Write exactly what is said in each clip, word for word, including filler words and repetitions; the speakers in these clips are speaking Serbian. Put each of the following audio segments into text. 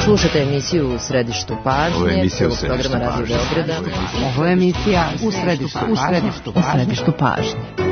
Slušajte emisiju U središtu pažnje. Ovo je emisija U središtu pažnje. Ovo je emisija U središtu pažnje. U središtu pažnje.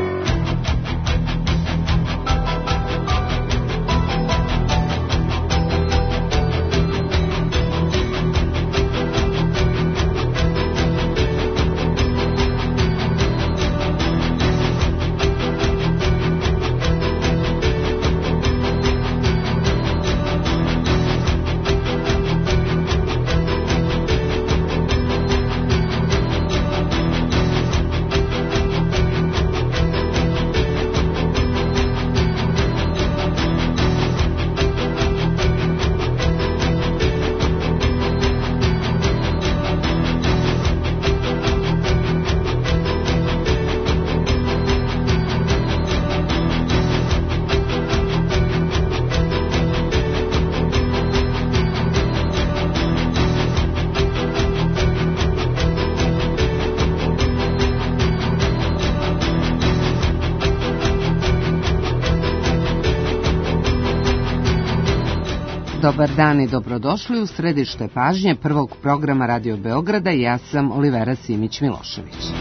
Dobar dan i dobrodošli u središte pažnje prvog programa Radio Beograda. Ja sam Olivera Simić-Milošević.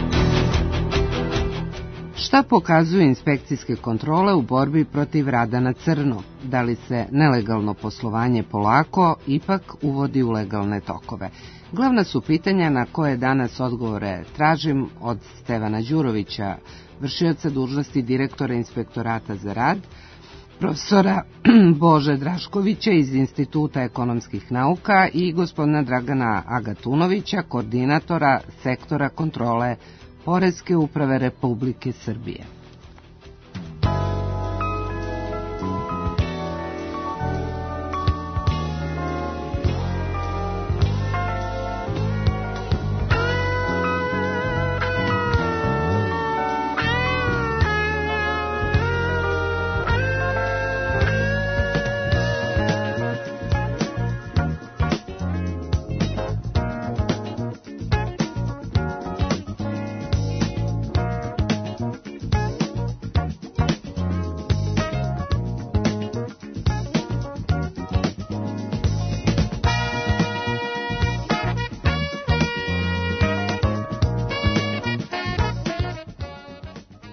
Šta pokazuju inspekcijske kontrole u borbi protiv rada na crno? Da li se nelegalno poslovanje polako ipak uvodi u legalne tokove? Glavna su pitanja na koje danas odgovore tražim od Stevana Đurovića, vršioca dužnosti direktora Inspektorata za rad, profesora Bože Draškovića iz Instituta ekonomskih nauka i gospodina Dragana Agatunovića, koordinatora sektora kontrole Poreske uprave Republike Srbije.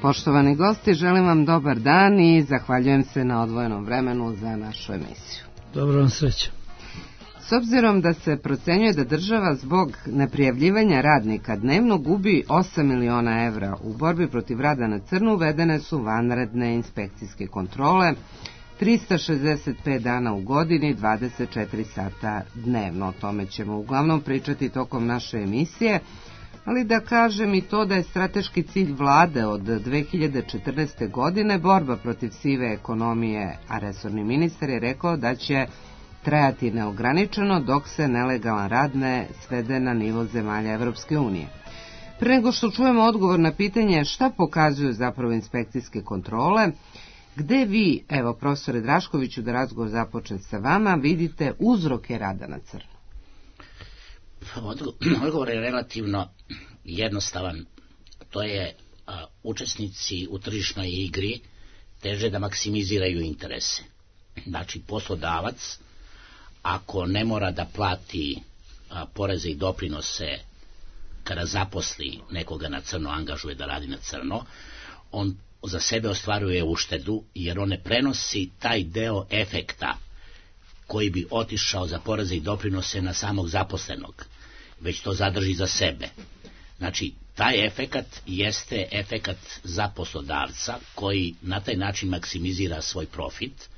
Poštovani gosti, želim vam dobar dan i zahvaljujem se na odvojenom vremenu za našu emisiju. Dobro vam sreće. S obzirom da se procenjuje da država zbog neprijavljivanja radnika dnevno gubi osam miliona evra u borbi protiv rada na crno, uvedene su vanredne inspekcijske kontrole trista šezdeset pet dana u godini, dvadeset četiri sata dnevno. O tome ćemo uglavnom pričati tokom naše emisije. Ali da kažem i to da je strateški cilj vlade od dve hiljade četrnaeste. godine borba protiv sive ekonomije, a resorni ministar je rekao da će trajati neograničeno dok se nelegalan rad ne svede na nivo zemalja Evropske unije. Pre nego što čujemo odgovor na pitanje šta pokazuju zapravo inspekcijske kontrole, gde vi, evo profesore Draškoviću, da razgovor započne sa vama, vidite uzroke rada na crno? Odgovor je relativno jednostavan. To je a, učesnici u tržišnoj igri teže da maksimiziraju interese. Znači, poslodavac, ako ne mora da plati a, poreze i doprinose kada zaposli nekoga na crno, angažuje da radi na crno, on za sebe ostvaruje uštedu, jer on ne prenosi taj deo efekta koji bi otišao za poreze i doprinose na samog zaposlenog, već to zadrži za sebe. Znači, taj efekat jeste efekat za poslodavca koji na taj način maksimizira svoj profit,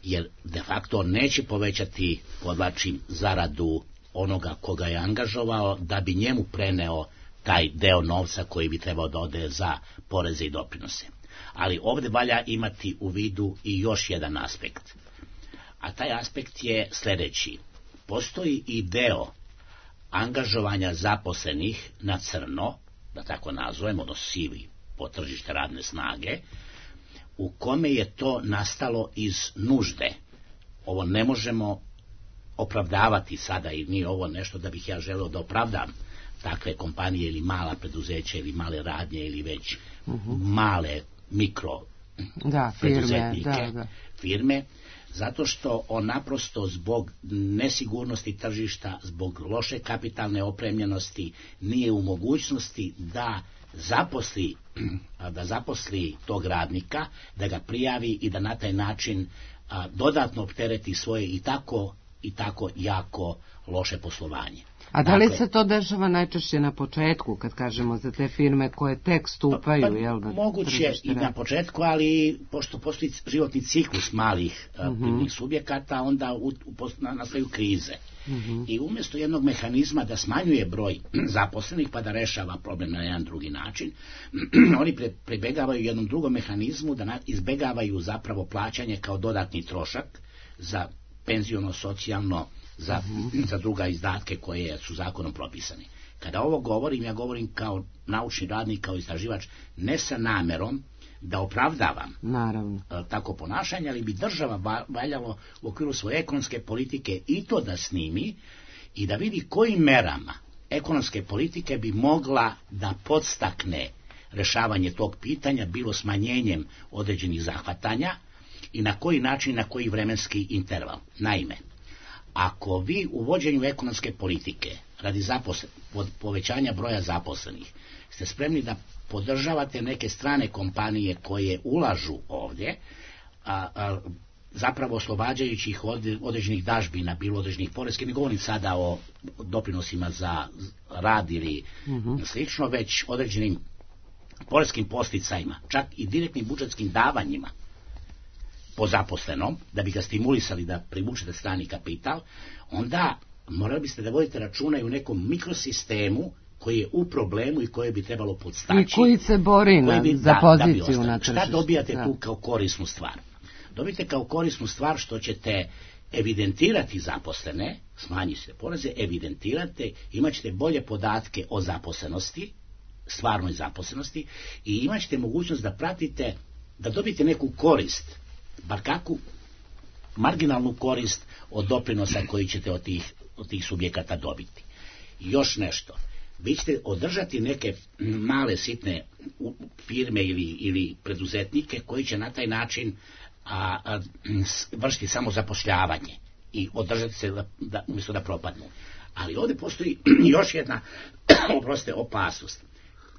jer de facto on neće povećati, podvlačim, zaradu onoga koga je angažovao da bi njemu preneo taj deo novca koji bi trebao da ode za poreze i doprinose. Ali ovdje valja imati u vidu i još jedan aspekt. A taj aspekt je sljedeći. Postoji i deo angažovanja zaposlenih na crno, da tako nazovemo, ono sivi po tržište radne snage, u kome je to nastalo iz nužde. Ovo ne možemo opravdavati sada i nije ovo nešto da bih ja želeo da opravdam takve kompanije ili mala preduzeća ili male radnje ili već uh-huh. male mikro da, firme, preduzetnike, da, da. firme, Zato što on naprosto zbog nesigurnosti tržišta, zbog loše kapitalne opremljenosti nije u mogućnosti da zaposli, da zaposli tog radnika, da ga prijavi i da na taj način a, dodatno optereti svoje i tako i tako jako loše poslovanje. A da li dakle, se to dešava najčešće na početku, kad kažemo za te firme koje tek stupaju? Pa, pa, jel, na moguće i na početku, ali pošto postoji životni ciklus malih uh-huh. privrednih subjekata, onda u, u, nastaju krize. Uh-huh. I umjesto jednog mehanizma da smanjuje broj zaposlenih pa da rešava problem na jedan drugi način, oni pre, pribegavaju jednom drugom mehanizmu da na, izbegavaju zapravo plaćanje kao dodatni trošak za penziono, socijalno, Za, uh-huh. za druga izdatke koje su zakonom propisani. Kada ovo govorim, ja govorim kao naučni radnik, kao istraživač, ne sa namerom da opravdavam Naravno. tako ponašanje, ali bi država valjalo u okviru svoje ekonomske politike i to da snimi i da vidi kojim merama ekonomske politike bi mogla da podstakne rešavanje tog pitanja, bilo smanjenjem određenih zahvatanja i na koji način, na koji vremenski interval. Naime, ako vi u vođenju ekonomske politike radi zaposlen, povećanja broja zaposlenih ste spremni da podržavate neke strane kompanije koje ulažu ovdje, a, a, zapravo oslobađajući ih od određenih dažbina, bilo određenih poreskih, ne govorim sada o doprinosima za rad ili uh-huh. slično, već određenim poreskim posticajima, čak i direktnim budžetskim davanjima po zaposlenom, da bi ga stimulisali da privučete strani kapital, onda morali biste da vodite računa i u nekom mikrosistemu koji je u problemu i koje bi trebalo podstaći. I koji se bori na, bi, za da, poziciju da na tržištu. Šta dobijate da. tu kao korisnu stvar? Dobijete kao korisnu stvar što ćete evidentirati zaposlene, smanjite poreze, evidentirate, imat ćete bolje podatke o zaposlenosti, stvarnoj zaposlenosti, i imat ćete mogućnost da pratite, da dobijete neku korist, bar kakvu marginalnu korist od doprinosa koji ćete od tih, od tih subjekata dobiti. I još nešto, vi ćete održati neke male sitne firme ili, ili preduzetnike koji će na taj način a, a, vršiti samo zapošljavanje i održati se da, da, umjesto da propadnu. Ali ovdje postoji još jedna oprostite, opasnost,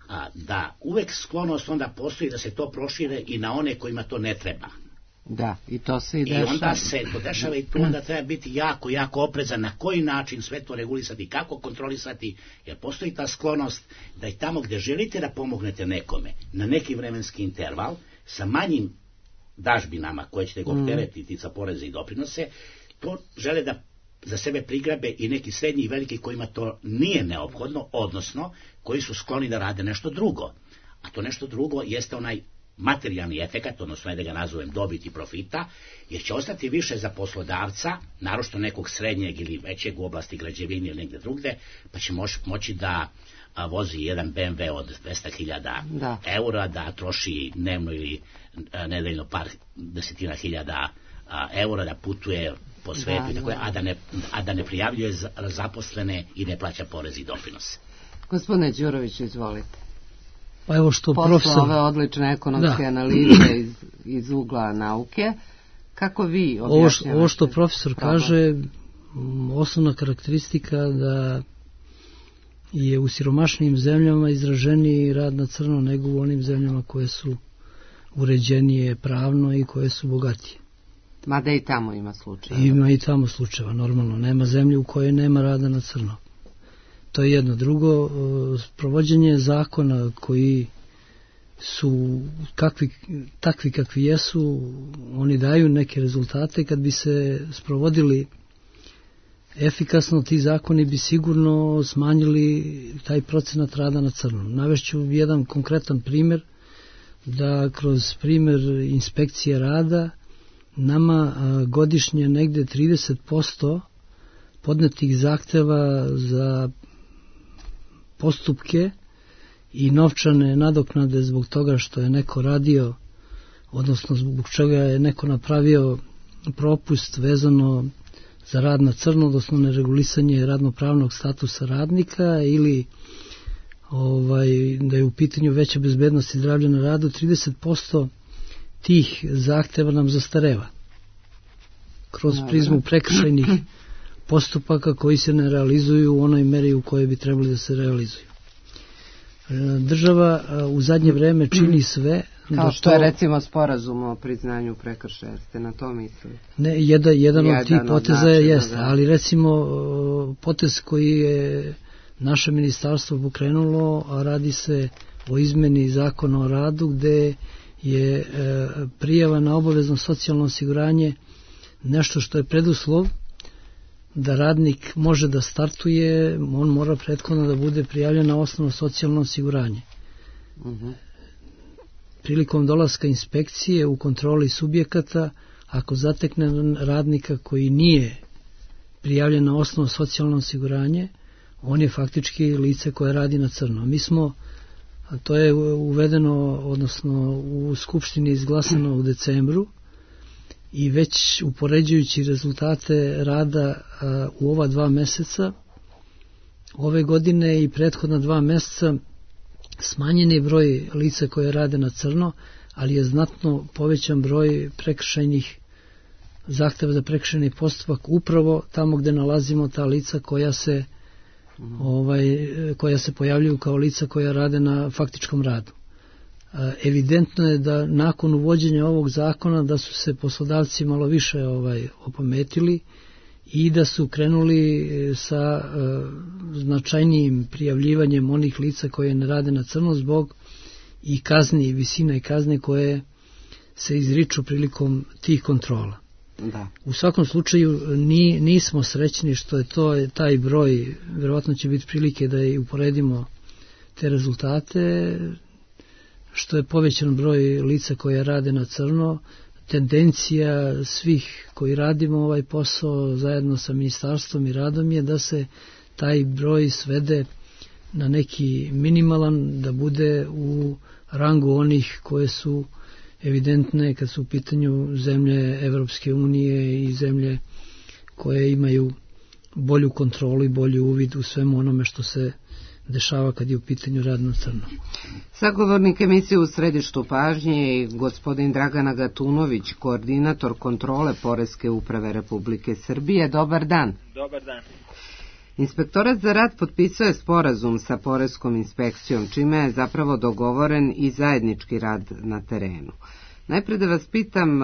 a, da uvek sklonost onda postoji da se to prošire i na one kojima to ne treba. Da, i to se i dešava. I onda se to dešava i tu onda treba biti jako, jako oprezan na koji način sve to regulisati, kako kontrolisati, jer postoji ta sklonost da i tamo gdje želite da pomognete nekome na neki vremenski interval sa manjim dažbinama koje ćete ga opteretiti za poreze i doprinose, to žele da za sebe prigrabe i neki srednji i veliki kojima to nije neophodno, odnosno koji su skloni da rade nešto drugo. A to nešto drugo jeste onaj materijalni efekat, odnosno da ga nazovem dobiti profita, jer će ostati više za poslodavca, naročito nekog srednjeg ili većeg u oblasti građevine ili negdje drugde, pa će moći, moći da a, vozi jedan be em ve od dvesta hiljada eura, da troši dnevno ili a, nedeljno par desetina hiljada a, eura, da putuje po svetu, da, tako, da. A, da ne, a da ne prijavljuje zaposlene i ne plaća porez i doprinose. Gospodine Đurović, izvolite. Pa evo što posle profesor... ove odlične ekonomske da. analize iz, iz ugla nauke, kako vi objašnjavate? Ovo, ovo što profesor problem? kaže, osnovna karakteristika da je u siromašnijim zemljama izraženiji rad na crno nego u onim zemljama koje su uređenije pravno i koje su bogatije. Mada i tamo ima slučajeva. Ima i tamo slučajeva, normalno. Nema zemlje u kojoj nema rada na crno. To je jedno. Drugo, provođenje zakona koji su kakvi, takvi kakvi jesu, oni daju neke rezultate. Kad bi se sprovodili efikasno, ti zakoni bi sigurno smanjili taj procenat rada na crno. Navešću jedan konkretan primjer, da kroz primjer inspekcije rada nama godišnje negde trideset posto podnetih zahteva za postupke i novčane nadoknade zbog toga što je neko radio, odnosno zbog čega je neko napravio propust vezano za rad na crno, odnosno neregulisanje radnopravnog statusa radnika ili ovaj, da je u pitanju veća bezbednost i zdravlje na radu, trideset posto tih zahteva nam zastareva. kroz prizmu prekršajnih postupaka koji se ne realizuju u onoj meri u kojoj bi trebali da se realizuju. Država u zadnje vreme čini sve kao što je recimo sporazum o priznanju prekršaja, ste na to mislili? Ne, jedan, jedan od tih poteza je jeste, ali recimo potez koji je naše ministarstvo pokrenulo, a radi se o izmeni zakona o radu gde je prijava na obavezno socijalno osiguranje nešto što je preduslov da radnik može da startuje, on mora prethodno da bude prijavljen na osnovno socijalno osiguranje. Uh-huh. Prilikom dolaska inspekcije u kontroli subjekata, ako zatekne radnika koji nije prijavljen na osnovno socijalno osiguranje, on je faktički lice koje radi na crno. Mi smo, to je uvedeno, odnosno u Skupštini izglasano u decembru, i već upoređujući rezultate rada a, u ova dva meseca, ove godine i prethodna dva meseca, smanjen je broj lica koje rade na crno, ali je znatno povećan broj prekršajnih zahteva za prekršajni postupak upravo tamo gde nalazimo ta lica koja se, mm. ovaj, koja se pojavljuju kao lica koja rade na faktičkom radu. Evidentno je da nakon uvođenja ovog zakona da su se poslodavci malo više ovaj opametili i da su krenuli sa uh, značajnijim prijavljivanjem onih lica koje ne rade na crno zbog i kazni, i visina i kazne koje se izriču prilikom tih kontrola. Da. U svakom slučaju ni, nismo srećni što je to taj broj, verovatno će biti prilike da i uporedimo te rezultate, što je povećan broj lica koje rade na crno. Tendencija svih koji radimo ovaj posao zajedno sa ministarstvom i radom je da se taj broj svede na neki minimalan, da bude u rangu onih koje su evidentne kad su u pitanju zemlje Evropske unije i zemlje koje imaju bolju kontrolu i bolji uvid u svemu onome što se dešava kad je u pitanju rad na crno. Sagovornik emisije U središtu pažnje je gospodin Dragan Agatunović, koordinator kontrole Poreske uprave Republike Srbije. Dobar dan. Dobar dan. Inspektorat za rad potpisao je sporazum sa Poreskom inspekcijom, čime je zapravo dogovoren i zajednički rad na terenu. Najpre da vas pitam,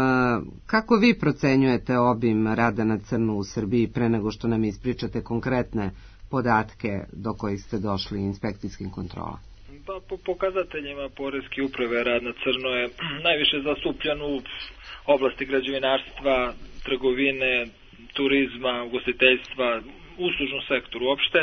kako vi procenjujete obim rada na crno u Srbiji pre nego što nam ispričate konkretne podatke do kojih ste došli inspekcijskim kontrolama? Pa, po pokazateljima Poreske uprave rad na crno je najviše zastupljen u oblasti građevinarstva, trgovine, turizma, ugostiteljstva, uslužnom sektoru uopšte.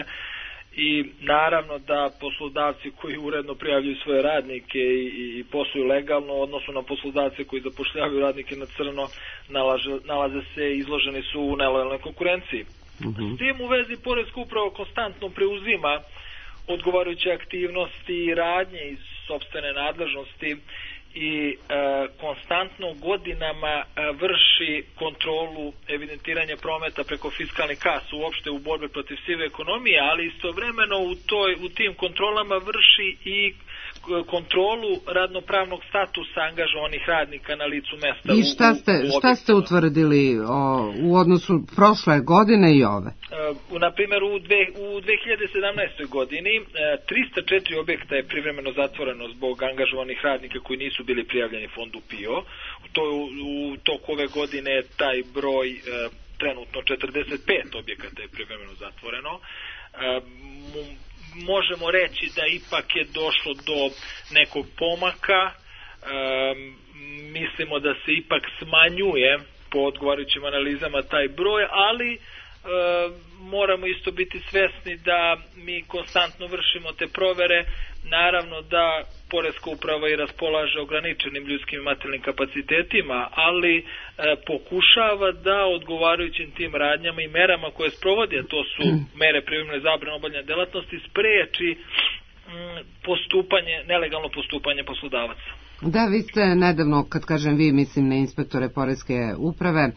I naravno da poslodavci koji uredno prijavljuju svoje radnike i, i posluju legalno, odnosno na poslodavce koji zapošljavaju radnike na crno, nalaže, nalaze se, izloženi su u nelojalnoj konkurenciji. Uh-huh. S tim u vezi Poreska uprava konstantno preuzima odgovarajuće aktivnosti i radnje iz sopstvene nadležnosti i e, konstantno godinama e, vrši kontrolu evidentiranja prometa preko fiskalnih kasa uopšte u borbi protiv sive ekonomije, ali istovremeno u, toj, u tim kontrolama vrši i kontrolu radnopravnog statusa angažovanih radnika na licu mesta. I šta ste, u, u šta ste utvrdili o, u odnosu prošle godine i ove? E, na primjer, u, dve, u dve hiljade sedamnaestoj godini e, trista četiri objekta je privremeno zatvoreno zbog angažovanih radnika koji nisu bili prijavljeni fondu P I O. U, to, u toku ove godine taj broj e, trenutno četrdeset pet objekata je privremeno zatvoreno. E, možemo reći da ipak je došlo do nekog pomaka, e, mislimo da se ipak smanjuje po odgovarajućim analizama taj broj, ali e, moramo isto biti svesni da mi konstantno vršimo te provere, naravno da Poreska uprava i raspolaže ograničenim ljudskim i materijalnim kapacitetima, ali e, pokušava da odgovarajućim tim radnjama i merama koje sprovodi, a to su mere privremene zabrane obavljanja delatnosti, spreči m, postupanje, nelegalno postupanje poslodavaca. Da, vi ste nedavno, kad kažem vi, mislim na inspektore Poreske uprave,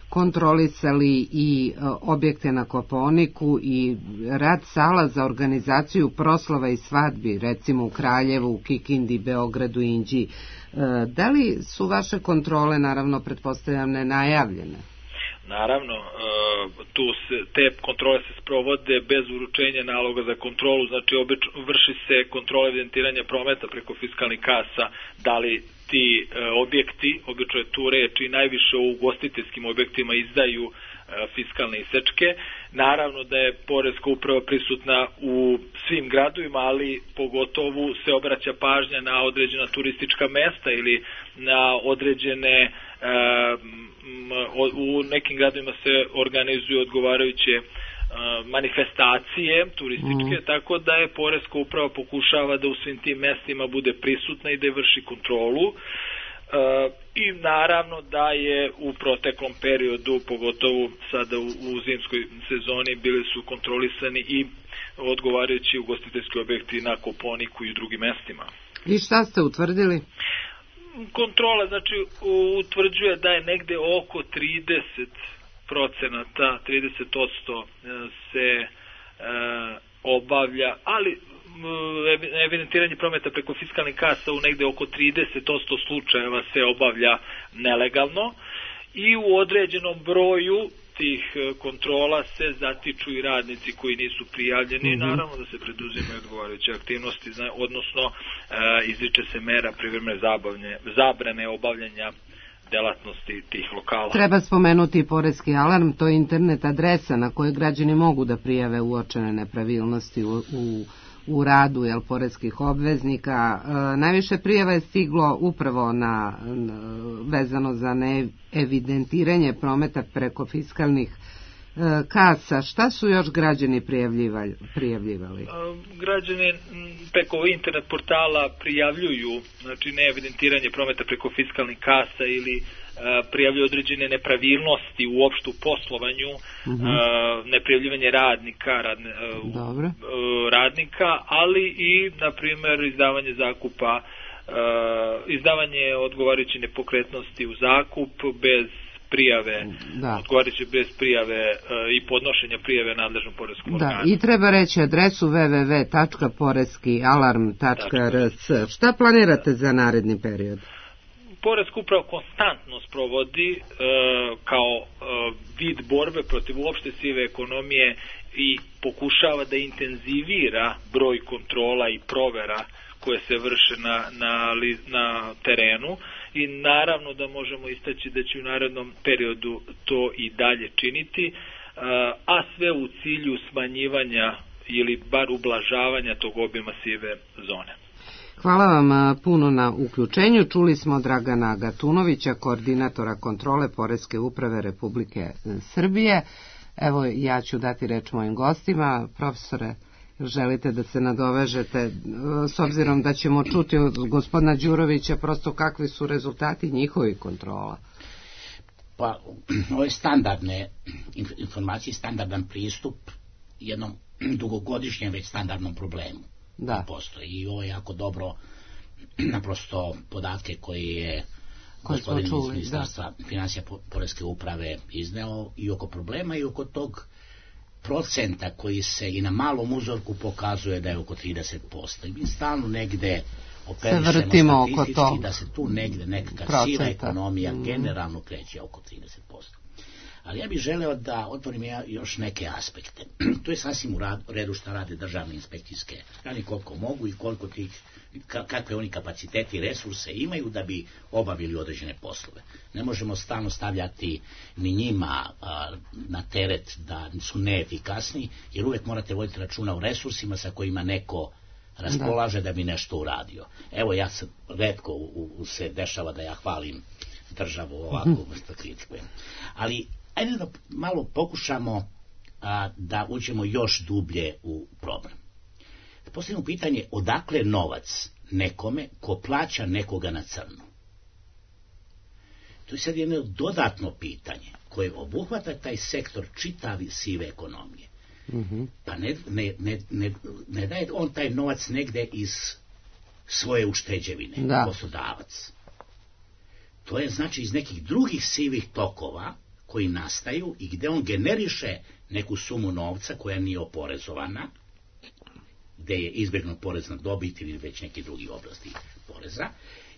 kontrolisali i objekte na Kopaoniku i rad sala za organizaciju proslava i svadbi, recimo u Kraljevu, u Kikindi, Beogradu i Inđiji. Da li su vaše kontrole, naravno, pretpostavljam, nenajavljene? Naravno, tu se, te kontrole se sprovode bez uručenja naloga za kontrolu, znači obič, vrši se kontrola evidentiranja prometa preko fiskalnih kasa, da li ti objekti, obično je tu reč i najviše u ugostiteljskim objektima izdaju fiskalne isečke. Naravno da je poreska uprava prisutna u svim gradovima, ali pogotovo se obraća pažnja na određena turistička mesta ili na određene, u nekim gradovima se organizuju odgovarajuće manifestacije turističke, mm. tako da je poreska uprava pokušava da u svim tim mestima bude prisutna i da je vrši kontrolu. Uh, i naravno da je u proteklom periodu, pogotovo sada u, u zimskoj sezoni, bili su kontrolisani i odgovarajući ugostiteljski objekti na Koponiku i u drugim mestima. I šta ste utvrdili? Kontrola, znači, utvrđuje da je negde oko trideset procenata, trideset posto se uh, obavlja, ali evidentiranje prometa preko fiskalnih kasa u negde oko trideset posto slučajeva se obavlja nelegalno i u određenom broju tih kontrola se zatiču i radnici koji nisu prijavljeni, mm-hmm. naravno da se preduzimaju odgovarajuće aktivnosti, odnosno e, izriče se mera privremene zabavne, zabrane obavljanja delatnosti tih lokala. Treba spomenuti i poreski alarm, to je internet adresa na kojoj građani mogu da prijave uočene nepravilnosti u, u u radu jel, poreskih obveznika. E, najviše prijava je stiglo upravo na, na vezano za neevidentiranje prometa preko fiskalnih e, kasa. Šta su još građani prijavljivali? prijavljivali? E, građani preko internet portala prijavljuju, znači neevidentiranje prometa preko fiskalnih kasa ili prijavljuju određene nepravilnosti u opštu poslovanju, uh-huh. neprijavljivanje radnika, radne, radnika, ali i, na primjer, izdavanje zakupa, izdavanje odgovarajuće nepokretnosti u zakup bez prijave, da. odgovarajuće bez prijave i podnošenja prijave nadležnom poreskom organu. Da, i treba reći adresu w w w tačka poreski alarm tačka r c. Šta planirate za naredni period? Poreska uprava konstantno sprovodi e, kao e, vid borbe protiv uopšte sive ekonomije i pokušava da intenzivira broj kontrola i provera koje se vrše na, na, na terenu i naravno da možemo istaći da će u narednom periodu to i dalje činiti, e, a sve u cilju smanjivanja ili bar ublažavanja tog obima sive zone. Hvala vam puno na uključenju. Čuli smo Dragana Gatunovića, koordinatora kontrole Poreske uprave Republike Srbije. Evo, ja ću dati reč mojim gostima. Profesore, želite da se nadovežete, s obzirom da ćemo čuti od gospodina Đurovića prosto kakvi su rezultati njihovih kontrola? Pa, ovo je standardne informacije, standardan pristup jednom dugogodišnjem već standardnom problemu. Da. Postoji. I ovo je jako dobro, naprosto podatke koji je gospodin iz Ministarstva financija Poreske uprave izneo i oko problema i oko tog procenta koji se i na malom uzorku pokazuje da je oko trideset posto. I mi stalno negde operišemo statistički da se tu negde nekakva siva ekonomija mm. generalno kreće oko trideset posto. Ali ja bih želeo da otvorim ja još neke aspekte. To je sasvim u redu što rade državne inspekcijske, radi koliko mogu i koliko tih, kakve oni kapaciteti i resurse imaju da bi obavili određene poslove. Ne možemo stalno stavljati ni njima a, na teret da su neefikasni, jer uvek morate voditi računa o resursima sa kojima neko raspolaže da, da bi nešto uradio. Evo, ja se retko u, u se dešava da ja hvalim državu ovako vrsta kritikujem. Ali ajde da malo pokušamo a, da uđemo još dublje u problem. Da postavimo pitanje odakle novac nekome ko plaća nekoga na crno. To je sad jedno dodatno pitanje koje obuhvata taj sektor čitavi sive ekonomije. Mm-hmm. Pa ne, ne, ne, ne, ne daje on taj novac negde iz svoje ušteđevine, da. Poslodavac. To je znači iz nekih drugih sivih tokova koji nastaju i gde on generiše neku sumu novca koja nije oporezovana, gde je izbjegnut porez na dobit ili već neki drugi oblasti poreza,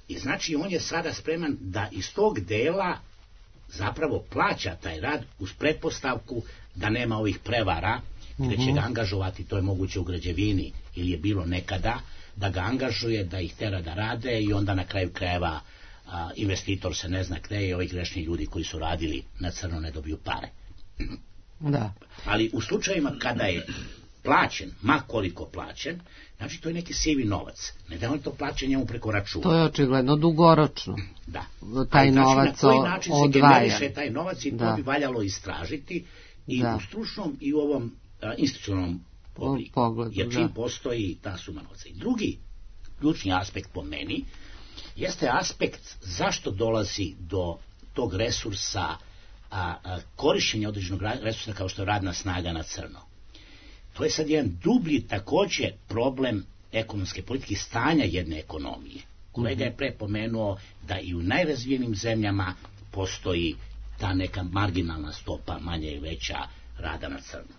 i znači on je sada spreman da iz tog dela zapravo plaća taj rad uz pretpostavku da nema ovih prevara, gde će ga angažovati, to je moguće u građevini ili je bilo nekada, da ga angažuje, da ih tera da rade i onda na kraju krajeva a, investitor se ne zna gde i ovi grešni ljudi koji su radili na crno ne dobiju pare. Da. Ali u slučajima kada je plaćen, ma koliko plaćen, znači to je neki sivi novac. Ne da on to plaća njemu preko računa. To je očigledno dugoročno. Da. Taj znači, novac na koji način se odvaja. generiše taj novac i da. To bi valjalo istražiti i da. U stručnom i u ovom a, institucionalnom pogledu. Jer čim da. Postoji ta suma novca. I drugi ključni aspekt po meni jeste aspekt zašto dolazi do tog resursa, a, a, korišćenja određenog resursa kao što je radna snaga na crno. To je sad jedan dublji također problem ekonomske politike, stanja jedne ekonomije. Kolega je pre pomenuo da i u najrazvijenim zemljama postoji ta neka marginalna stopa, manja i veća, rada na crno.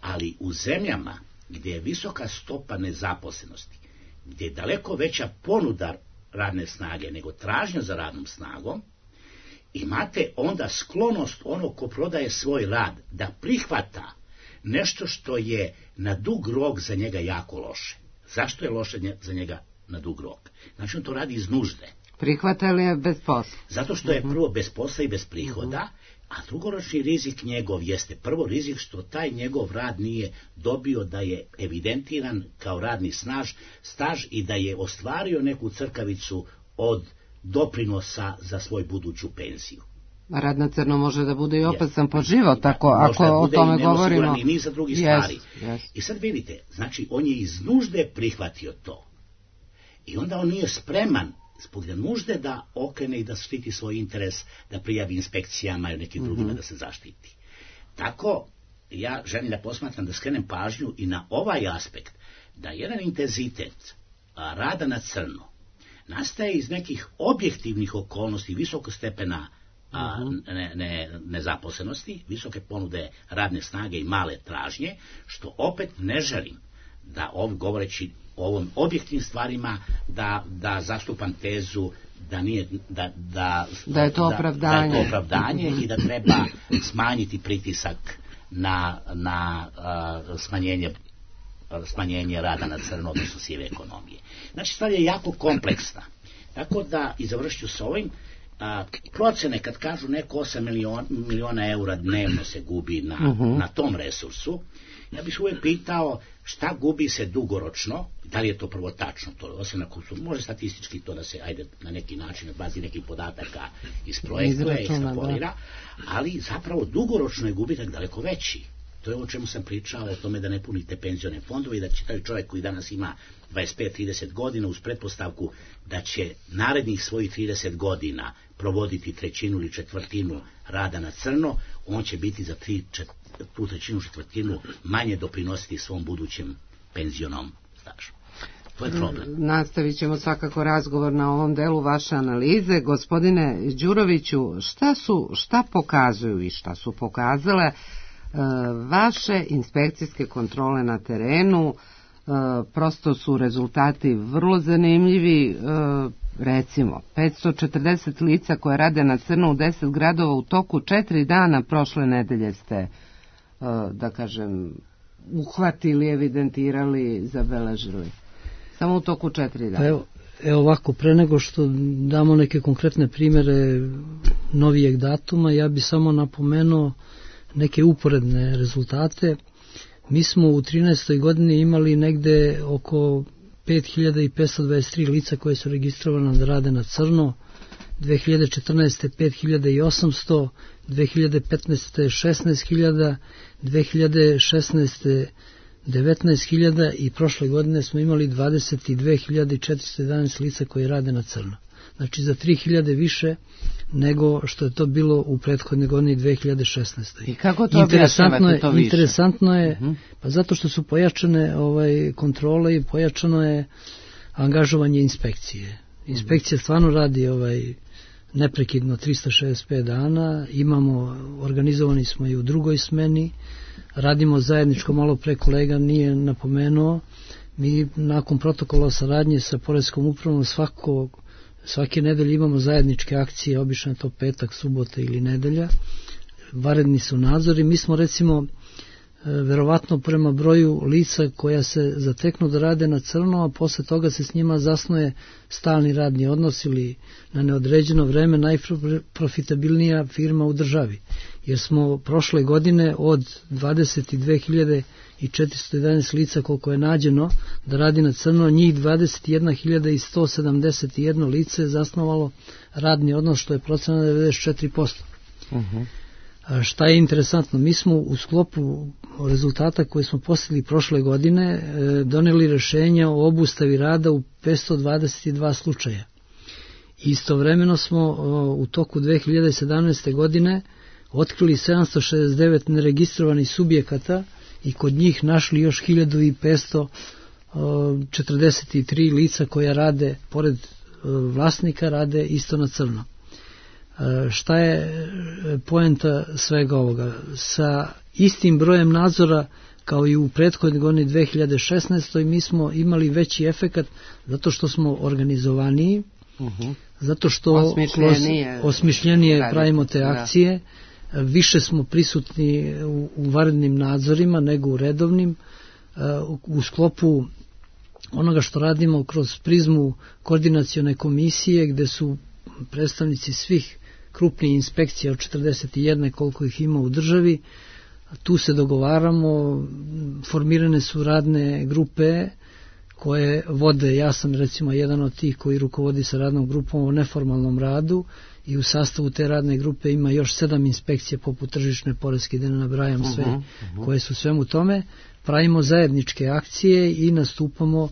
Ali u zemljama gdje je visoka stopa nezaposlenosti, gdje je daleko veća ponuda radne snage nego tražnja za radnom snagom, imate onda sklonost onog ko prodaje svoj rad da prihvata nešto što je na dug rok za njega jako loše. Zašto je loše za njega na dug rok? Znači on to radi iz nužde. Prihvata li je bez posla? Zato što je prvo bez posla i bez prihoda, a drugoročni rizik njegov jeste prvo rizik što taj njegov rad nije dobio da je evidentiran kao radni snaž, staž i da je ostvario neku crkavicu od doprinosa za svoj buduću penziju. Rad na crno može da bude i opasan po život, ako, ako o tome govorimo. I niza drugih yes, stvari. Yes. I sad vidite, znači on je iz nužde prihvatio to. I onda on nije spreman zbog nužde da okrene i da štiti svoj interes, da prijavi inspekcijama i nekim drugima mm-hmm. da se zaštiti. Tako, ja želim da posmatram, da skrenem pažnju i na ovaj aspekt, da jedan intenzitet a, rada na crno nastaje iz nekih objektivnih okolnosti, visokog stepena a, ne, ne, nezaposlenosti, visoke ponude radne snage i male tražnje, što opet ne želim da ovdje govoreći o ovom objektivnim stvarima da, da zastupam tezu da, nije, da, da, da je to opravdanje, da, da je to opravdanje i da treba smanjiti pritisak na, na uh, smanjenje, smanjenje rada na crno, odnosno sive ekonomije. Znači stvar je jako kompleksna. Tako da, i završću s ovim, a, procene kad kažu neko osam miliona, miliona eura dnevno se gubi na, uh-huh. na tom resursu, ja bih uvijek pitao šta gubi se dugoročno, da li je to prvo tačno, to osim ako su, može statistički to da se, ajde, na neki način, na bazi nekih podataka isprojektuje i ekstrapolira, ali zapravo dugoročno je gubitak daleko veći. To je o čemu sam pričao, o tome da ne punite penzione fondove i da će taj čovjek koji danas ima dvadeset pet trideset godina uz pretpostavku da će narednih svojih trideset godina provoditi trećinu ili četvrtinu rada na crno, on će biti za tri, čet, tu trećinu četvrtinu manje doprinositi svom budućem penzionom stažu. To je problem. Nastavit ćemo svakako razgovor na ovom delu vaše analize. Gospodine Đuroviću, šta su, šta pokazuju i šta su pokazale vaše inspekcijske kontrole na terenu? Prosto su rezultati vrlo zanimljivi. Recimo, petsto četrdeset lica koje rade na crno u deset gradova u toku četiri dana prošle nedelje ste, da kažem, uhvatili, evidentirali, zabeležili. Samo u toku četiri dana. Evo, evo ovako, pre nego što damo neke konkretne primere novijeg datuma, ja bi samo napomenuo neke uporedne rezultate. Mi smo u trinaestoj godini imali negde oko pet hiljada petsto dvadeset tri lica koje su registrovane da rade na crno, dve hiljade četrnaeste. pet hiljada osamsto, dve hiljade petnaeste. šesnaest hiljada, dve hiljade šesnaeste. devetnaest hiljada i prošle godine smo imali dvadeset dve hiljade četiristo jedanaest lica koje rade na crno. Znači za tri hiljade više nego što je to bilo u prethodne godine dve hiljade šesnaeste. I kako to objašnjavate to više? Interesantno je, uh-huh. pa zato što su pojačane ovaj, kontrole i pojačano je angažovanje inspekcije. Inspekcija uh-huh. stvarno radi ovaj, neprekidno trista šezdeset pet dana, imamo, organizovani smo i u drugoj smeni, radimo zajedničko, malo pre kolega nije napomenuo, mi nakon protokola saradnje sa Poreskom upravom svakog Svake nedelje imamo zajedničke akcije, obično je to petak, subota ili nedelja. Vanredni su nadzori. Mi smo recimo verovatno prema broju lica koja se zateknu da rade na crno, a posle toga se s njima zasnuje stalni radni odnos ili na neodređeno vreme najprofitabilnija firma u državi. Jer smo prošle godine od dvadeset dve hiljade četiristo jedanaest lica koliko je nađeno da radi na crno, njih dvadeset jedna hiljada sto sedamdeset jedno lice je zasnovalo radni odnos, što je procena devedeset četiri posto. Uh-huh. A šta je interesantno, mi smo u sklopu rezultata koje smo postigli prošle godine doneli rešenja o obustavi rada u petsto dvadeset dva slučaja. Istovremeno smo u toku dve hiljade sedamnaeste. godine otkrili sedamsto šezdeset devet neregistrovanih subjekata i kod njih našli još hiljadu petsto četrdeset tri lica koja rade, pored vlasnika, rade isto na crno. Šta je poenta svega ovoga? Sa istim brojem nadzora kao i u prethodnoj godini dve hiljade šesnaestoj. mi smo imali veći efekat zato što smo organizovaniji, uh-huh. zato što osmišljenije, osmišljenije pravimo te akcije, da. Više smo prisutni u, u vanrednim nadzorima nego u redovnim, u sklopu onoga što radimo kroz prizmu koordinacione komisije gde su predstavnici svih krupnih inspekcija od četrdeset jedan koliko ih ima u državi. Tu se dogovaramo, formirane su radne grupe koje vode, ja sam recimo jedan od tih koji rukovodi sa radnom grupom o neformalnom radu i u sastavu te radne grupe ima još sedam inspekcija poput tržišne, poreske, da ne nabrajam sve, uh-huh, uh-huh. koje su svemu tome. Pravimo zajedničke akcije i nastupamo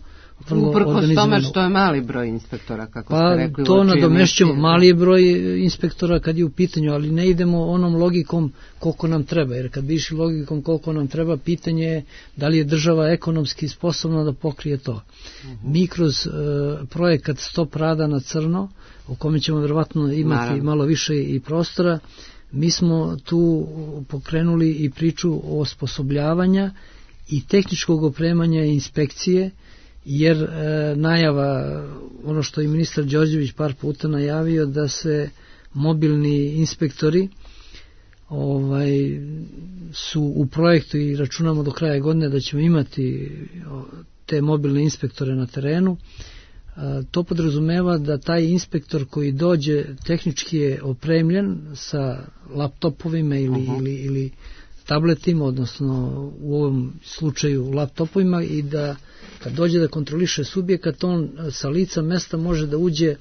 vrlo uprkos tome što je mali broj inspektora, kako pa, ste rekli. Pa to nadomešćamo, mali je broj inspektora kad je u pitanju, ali ne idemo onom logikom koliko nam treba, jer kad bi išli logikom koliko nam treba, pitanje je da li je država ekonomski sposobna da pokrije to. Uh-huh. Mi kroz uh, projekat Stop rada na crno, o kome ćemo verovatno imati Naravno. malo više i prostora, mi smo tu pokrenuli i priču o osposobljavanja i tehničkog opremanja inspekcije, jer e, najava, ono što je ministar Đorđević par puta najavio, da se mobilni inspektori ovaj, su u projektu i računamo do kraja godine da ćemo imati te mobilne inspektore na terenu. E, to podrazumeva da taj inspektor koji dođe tehnički je opremljen sa laptopovima ili, uh-huh. ili, ili tabletima, odnosno u ovom slučaju laptopovima, i da kad dođe da kontroliše subjekat, on sa lica mesta može da uđe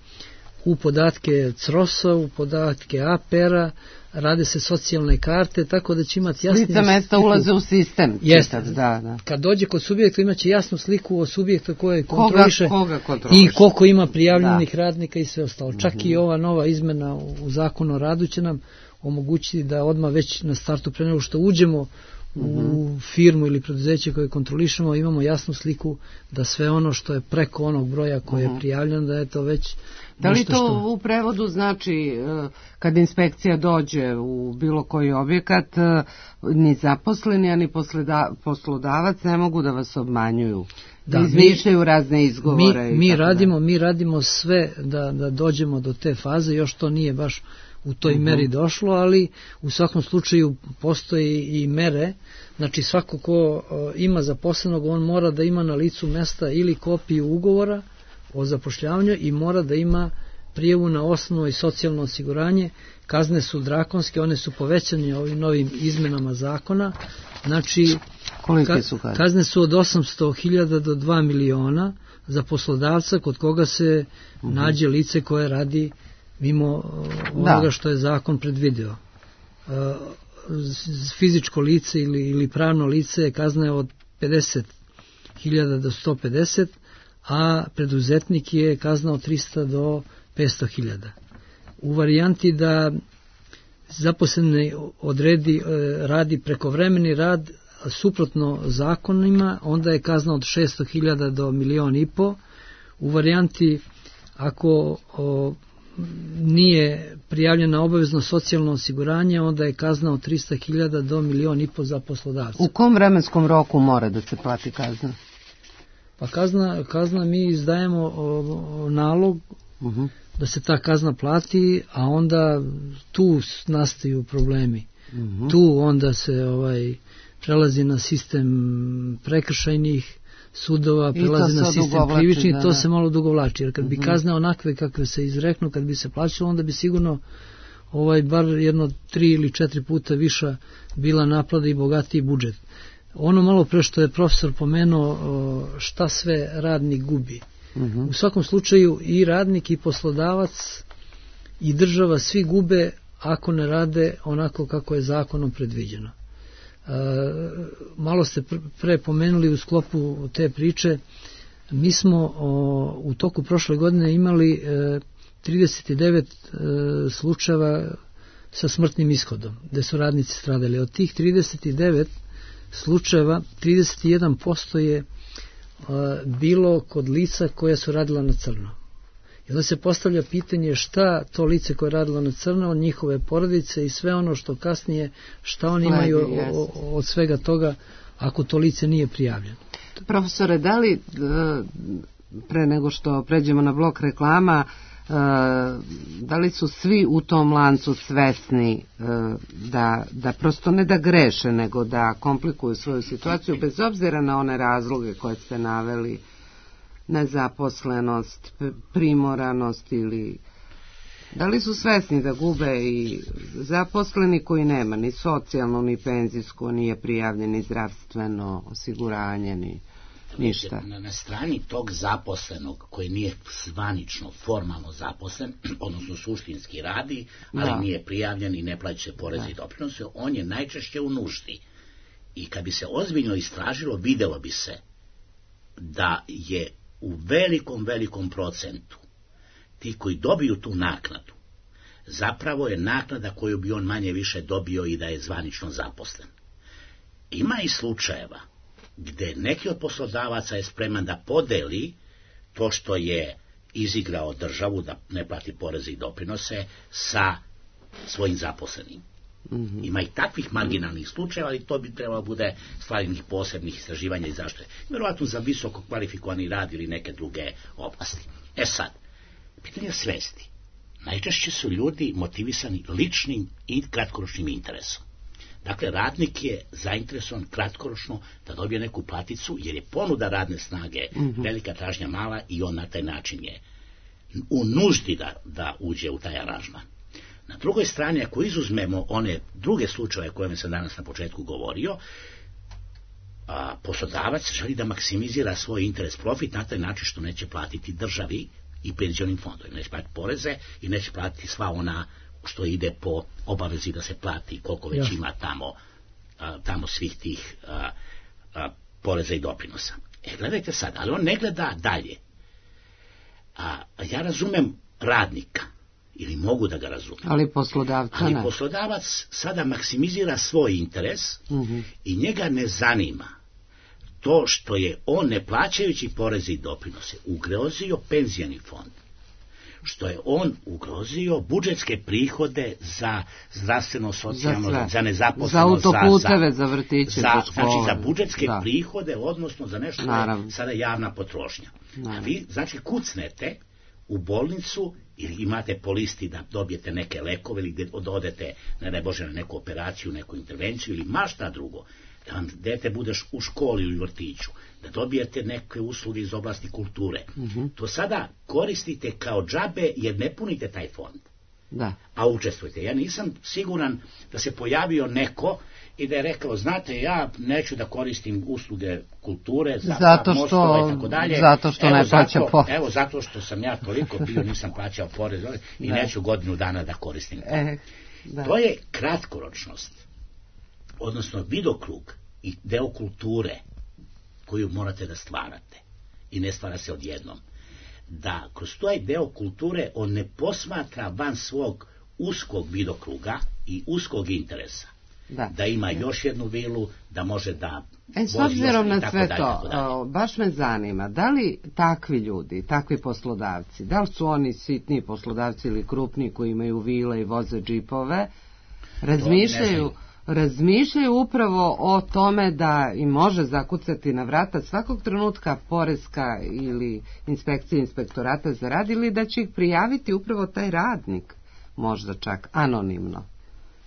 u podatke C R O S-a, u podatke A P R-a, rade se socijalne karte, tako da će imati jasnu lica mesta sliku. Ulaze u sistem. Jeste, da, da. Kad dođe kod subjekta imaće jasnu sliku o subjekta koje kontroliše koga, koga kontroliše. I koliko ima prijavljenih da. radnika i sve ostalo. Čak uh-huh. i ova nova izmena u zakonu o radu će nam omogućiti da odmah već na startu, pre nego što uđemo u firmu ili preduzeće koje kontrolišemo, imamo jasnu sliku da sve ono što je preko onog broja koje je prijavljeno, da je to već da li to što... u prevodu znači kad inspekcija dođe u bilo koji objekat, ni zaposleni, ani poslodavac ne mogu da vas obmanjuju, da, da izmišljaju razne izgovore? Mi, mi, radimo, mi radimo sve da, da dođemo do te faze, još to nije baš u toj uh-huh. meri došlo, ali u svakom slučaju postoji i mere. Znači svako ko ima zaposlenog, on mora da ima na licu mesta ili kopiju ugovora o zapošljavanju i mora da ima prijavu na osnovno i socijalno osiguranje. Kazne su drakonske, one su povećane ovim novim izmenama zakona. Znači Kolike su kazne? Kazne su od osamsto hiljada do dva miliona za poslodavca kod koga se uh-huh. nađe lice koje radi mimo onoga da. što je zakon predvideo. Fizičko lice ili, ili pravno lice kazna je od pedeset hiljada do sto pedeset, a preduzetnik je kazna od trista do petsto hiljada. U varijanti da zaposleni odredi radi prekovremeni rad suprotno zakonima, onda je kazna od šesto hiljada do milion i po. U varijanti ako o, nije prijavljena obavezno socijalno osiguranje, onda je kazna od trista hiljada do milion i po za poslodavca. U kom vremenskom roku mora da se plati kazna? Pa kazna, kazna mi izdajemo o, o, nalog, uh-huh. da se ta kazna plati, a onda tu nastaju problemi. Mm-hmm. Tu onda se ovaj prelazi na sistem prekršajnih sudova, prelazi na sistem krivičnih, da, to se malo dugovlači, jer kad mm-hmm. bi kazne onakve kakve se izreknu, kad bi se plaćalo, onda bi sigurno ovaj bar jedno tri ili četiri puta viša bila naplata i bogatiji budžet. Ono malo pre što je profesor pomenuo šta sve radnik gubi. Mm-hmm. U svakom slučaju i radnik i poslodavac i država svi gube ako ne rade onako kako je zakonom predviđeno. E, malo ste pre pomenuli u sklopu te priče, mi smo o, u toku prošle godine imali e, trideset devet e, slučajeva sa smrtnim ishodom, gde su radnici stradali. Od tih trideset devet slučajeva, trideset jedan posto je e, bilo kod lica koja su radila na crno. I onda se postavlja pitanje šta to lice koje je radilo na crno, od njihove porodice i sve ono što kasnije, šta oni Sledi, imaju o, od svega toga ako to lice nije prijavljeno. Profesore, da li pre nego što pređemo na blok reklama, da li su svi u tom lancu svesni da, da prosto ne da greše, nego da komplikuju svoju situaciju bez obzira na one razloge koje ste naveli, nezaposlenost, primoranost, ili da li su svesni da gube i zaposleni koji nema ni socijalno, ni penzijsko, nije prijavljen, ni zdravstveno osiguranje, ni ništa. Na, na strani tog zaposlenog koji nije zvanično, formalno zaposlen, odnosno suštinski radi, ali da. Nije prijavljen i ne plaća poreze i doprinose, on je najčešće u nuždi. I kad bi se ozbiljno istražilo, videlo bi se da je u velikom, velikom procentu ti koji dobiju tu naknadu, zapravo je naknada koju bi on manje više dobio i da je zvanično zaposlen. Ima i slučajeva gde neki od poslodavaca je spreman da podeli to što je izigrao državu da ne plati poreze i doprinose sa svojim zaposlenim. Mm-hmm. Ima i takvih marginalnih slučajeva, ali to bi trebalo bude stvar nekih posebnih istraživanja i zašto je. Vjerovatno za visoko kvalifikovani rad ili neke druge oblasti. E sad, pitanje svesti. Najčešće su ljudi motivisani ličnim i kratkoročnim interesom. Dakle, radnik je zainteresovan kratkoročno da dobije neku platicu, jer je ponuda radne snage mm-hmm. velika, tražnja mala i on na taj način je u nuždi da, da uđe u taj aranžman. Na drugoj strani, ako izuzmemo one druge slučaje koje sam danas na početku govorio, a, poslodavac želi da maksimizira svoj interes, profit na taj način što neće platiti državi i penzionim fondovima, neće platiti poreze i neće platiti sva ona što ide po obavezi da se plati, koliko već ja. ima tamo, a, tamo svih tih a, a, poreza i doprinosa. E, gledajte sad, ali on ne gleda dalje. A, ja razumem radnika, ili mogu da ga razumem. Ali poslodavca Ali ne. poslodavac sada maksimizira svoj interes uh-huh. i njega ne zanima to što je on, ne plaćajući poreze i doprinose, ugrozio penzijani fond, što je on ugrozio budžetske prihode za zdravstveno, socijalno, za, za nezaposlenost, za autoputeve, za, za vrtiće, za, za znači za budžetske da. prihode, odnosno za nešto Naravno. je sada javna potrošnja. Naravno. A vi, znači, kucnete u bolnicu ili imate po listi da dobijete neke lekove ili da odete, ne daj Bože, na neku operaciju, neku intervenciju ili ma šta drugo, da vam dete budeš u školi ili u vrtiću, da dobijete neke usluge iz oblasti kulture. Mm-hmm. To sada koristite kao džabe jer ne punite taj fond. Da. A učestvujete. Ja nisam siguran da se pojavio neko i da je rekao, znate, ja neću da koristim usluge kulture za zato što, mostove i tako dalje. Zato što evo, ne plaća porez. Evo, zato što sam ja toliko bio, nisam plaćao porez i da. neću godinu dana da koristim. E, da. To je kratkoročnost, odnosno vidokrug i deo kulture koju morate da stvarate i ne stvara se odjednom. Da kroz taj deo kulture on ne posmatra van svog uskog vidokruga i uskog interesa. Da, da ima još jednu vilu, da može da... E, s obzirom na sve to, o, baš me zanima, da li takvi ljudi, takvi poslodavci, da li su oni sitni poslodavci ili krupni koji imaju vile i voze džipove, razmišljaju razmišljaju upravo o tome da im može zakucati na vrata svakog trenutka poreska ili inspekcija inspektorata za rad, ili da će ih prijaviti upravo taj radnik, možda čak anonimno.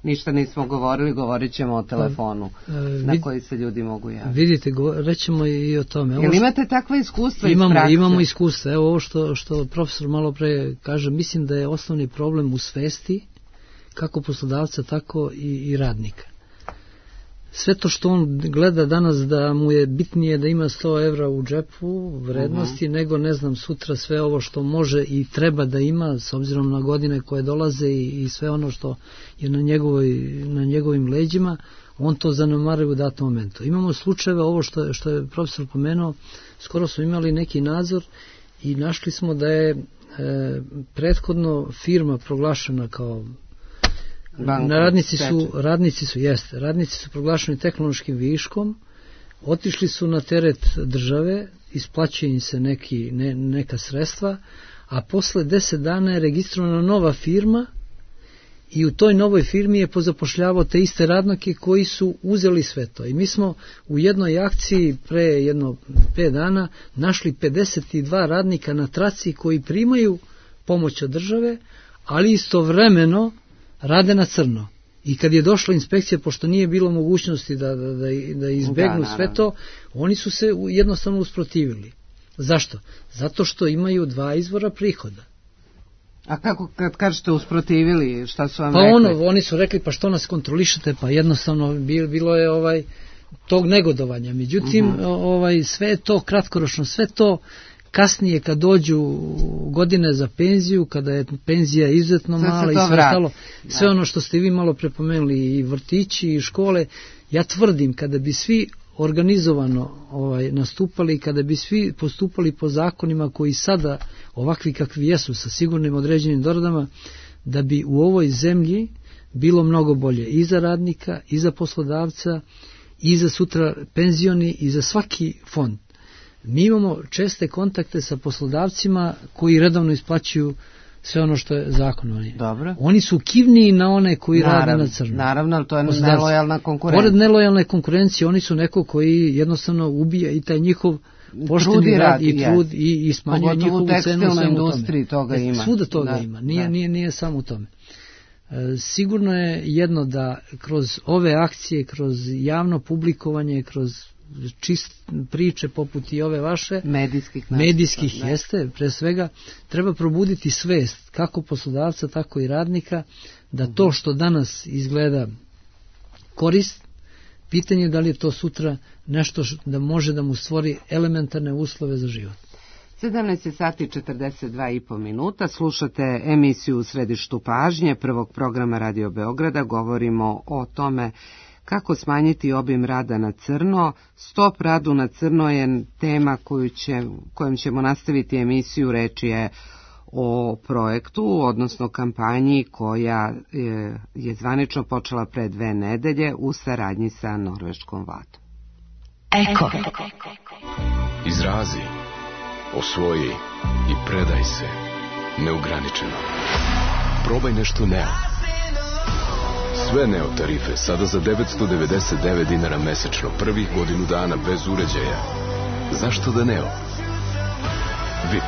Ništa nismo govorili, govorit ćemo o telefonu pa, vid, na koji se ljudi mogu javiti. Vidite, rećemo i o tome. Jel imate takva iskustva imamo, iz prakse? Imamo iskustva. Evo ovo što, što profesor malo pre kaže, mislim da je osnovni problem u svesti kako poslodavca, tako i, i radnika. Sve to što on gleda danas da mu je bitnije da ima sto evra u džepu vrednosti, uh-huh. nego ne znam sutra sve ovo što može i treba da ima s obzirom na godine koje dolaze i, i sve ono što je na, njegovoj, na njegovim leđima, on to zanemaruje u datom momentu. Imamo slučajeve, ovo što, što je profesor pomenuo, skoro smo imali neki nadzor i našli smo da je e, prethodno firma proglašena kao Na radnici su, radnici su, jeste, radnici su proglašeni tehnološkim viškom, otišli su na teret države, isplaćuje im se neki, ne, neka sredstva, a posle deset dana je registrovana nova firma i u toj novoj firmi je pozapošljavao te iste radnike koji su uzeli sve to. I mi smo u jednoj akciji pre jedno pet dana našli pedeset dva radnika na traci koji primaju pomoć od države, ali istovremeno rade na crno. I kad je došla inspekcija, pošto nije bilo mogućnosti da, da, da, da izbegnu da, sve to, oni su se jednostavno usprotivili. Zašto? Zato što imaju dva izvora prihoda. A kako kad kažete usprotivili, šta su vam pa rekli? Ono, oni su rekli, pa što nas kontrolišete, pa jednostavno bilo je ovaj tog negodovanja. Međutim, uh-huh. ovaj, sve je to kratkoročno, sve to kasnije kad dođu godine za penziju, kada je penzija izuzetno sve mala i sve ostalo, sve ono što ste vi malo prepomenuli, i vrtići i škole, ja tvrdim kada bi svi organizovano ovaj, nastupali, kada bi svi postupali po zakonima koji sada ovakvi kakvi jesu sa sigurnim određenim doradama, da bi u ovoj zemlji bilo mnogo bolje i za radnika, i za poslodavca, i za sutra penzioni, i za svaki fond. Mi imamo česte kontakte sa poslodavcima koji redovno isplaćuju sve ono što je zakonom. Dobro. Oni su kivniji na one koji naravno, rade na crno. Naravno, ali to je nelojalna konkurencija. Pored nelojalne konkurencije, oni su neko koji jednostavno ubija i taj njihov pošteni rad, rad i trud yes. i, i smanjuje njihovu cenu. Pogotovo u industriji toga e, ima. Svuda toga da, ima, nije, da. nije, nije samo u tome. E, sigurno je jedno da kroz ove akcije, kroz javno publikovanje, kroz čist priče poput i ove vaše medijskih, medijskih da, jeste, pre svega treba probuditi svest kako poslodavca, tako i radnika da to što danas izgleda korist, pitanje je da li je to sutra nešto da može da mu stvori elementarne uslove za život. sedamnaest sati četrdeset dva i po minuta, slušate emisiju U središtu pažnje prvog programa Radio Beograda, govorimo o tome kako smanjiti obim rada na crno. Stop radu na crno je tema koju će, kojom ćemo nastaviti emisiju. Reč je o projektu, odnosno kampanji koja je, je zvanično počela pre dve nedelje u saradnji sa norveškom vladom. Eko. Izrazi, osvoji i predaj se neograničeno. Probaj nešto Neo. Sve Neo tarife sada za devetsto devedeset devet dinara mesečno, prvih godinu dana bez uređaja. Zašto da Neo? V I P.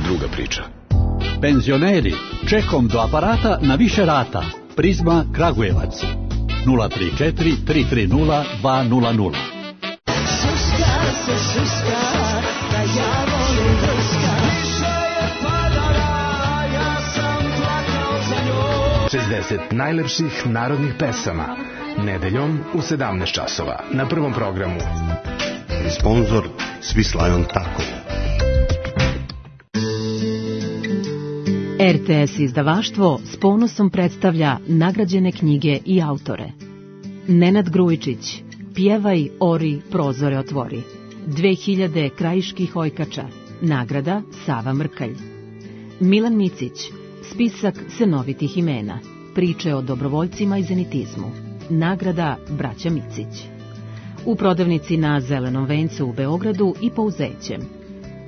Druga priča. Penzioneri, čekom do aparata na više rata. Prizma Kragujevac. nula tri četiri tri tri nula dva nula nula. Šuška se šuška, da ja volim vrška. Više je padala, ja sam plakao za njom. šezdeset najlepših narodnih pesama. Nedeljom u sedamnaest časova. Na prvom programu. Sponzor Swiss Lion Taco. R T S izdavaštvo s ponosom predstavlja nagrađene knjige i autore. Nenad Grujičić, Pjevaj, ori, prozore otvori. dve hiljade krajiških ojkača. Nagrada Sava Mrkalj. Milan Micić, spisak senovitih imena. Priče o dobrovoljcima i zenitizmu. Nagrada Braća Micić. U prodavnici na Zelenom vencu u Beogradu i Pouzećem.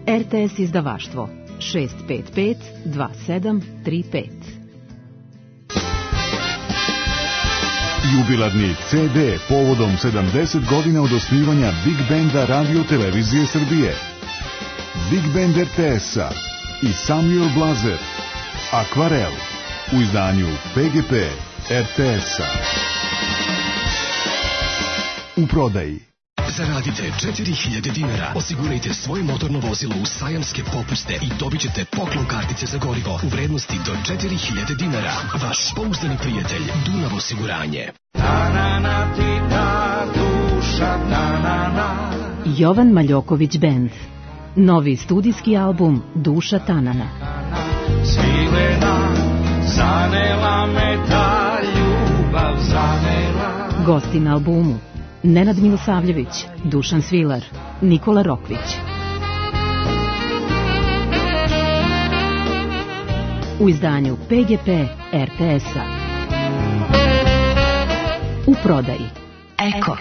R T S izdavaštvo šest pet pet dva sedam tri pet. Jubilarni ce de povodom sedamdeset godina od osnivanja Big Banda Radio Televizije Srbije. Big Band er te es-a i Samuel Blazer. Akvarel u izdanju pe ge pe er te es-a. U prodaji. Zaradite četiri hiljade dinara, osigurajte svoje motorno vozilo u sajamske popuste i dobit ćete poklon kartice za gorivo u vrednosti do četiri hiljade dinara. Vaš pouzdani prijatelj Dunav osiguranje. Jovan Maljoković Band. Novi studijski album Duša Tanana. Svilena, zanela me ta ljubav, zanela. Gosti na albumu: Nenad Milosavljević, Dušan Svilar, Nikola Rokvić. U izdanju pe ge pe er te es-a. U prodaji Eko.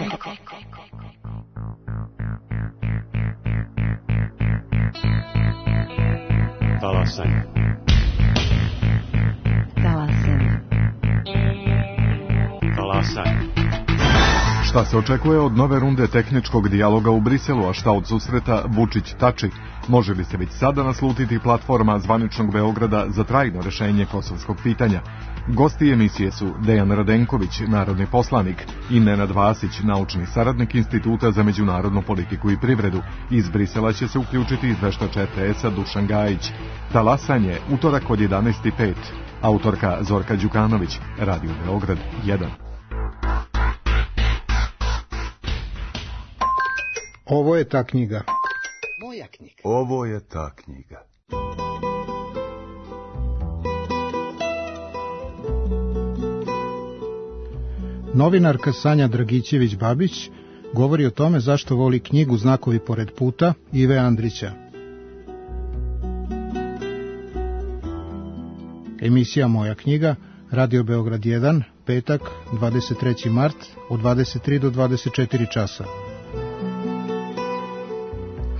Talasanje. Talasanje. Talasanje. Šta se očekuje od nove runde tehničkog dijaloga u Briselu, a šta od susreta Vučić-Tači? Može li se već sada naslutiti platforma zvaničnog Beograda za trajno rešenje kosovskog pitanja? Gosti emisije su Dejan Radenković, narodni poslanik, i Nenad Vasić, naučni saradnik Instituta za međunarodnu politiku i privredu. Iz Brisela će se uključiti izveštač er te es-a Dušan Gajić. Talasanje, utorak od jedanaest i pet. Autorka Zorka Đukanović, Radio Beograd jedan. Ovo je ta knjiga. Moja knjiga. Ovo je ta knjiga. Novinarka Sanja Dragićević-Babić govori o tome zašto voli knjigu Znakovi pored puta Ive Andrića. Emisija Moja knjiga, Radio Beograd jedan, petak, dvadeset treći mart, od dvadeset tri do dvadeset četiri časa.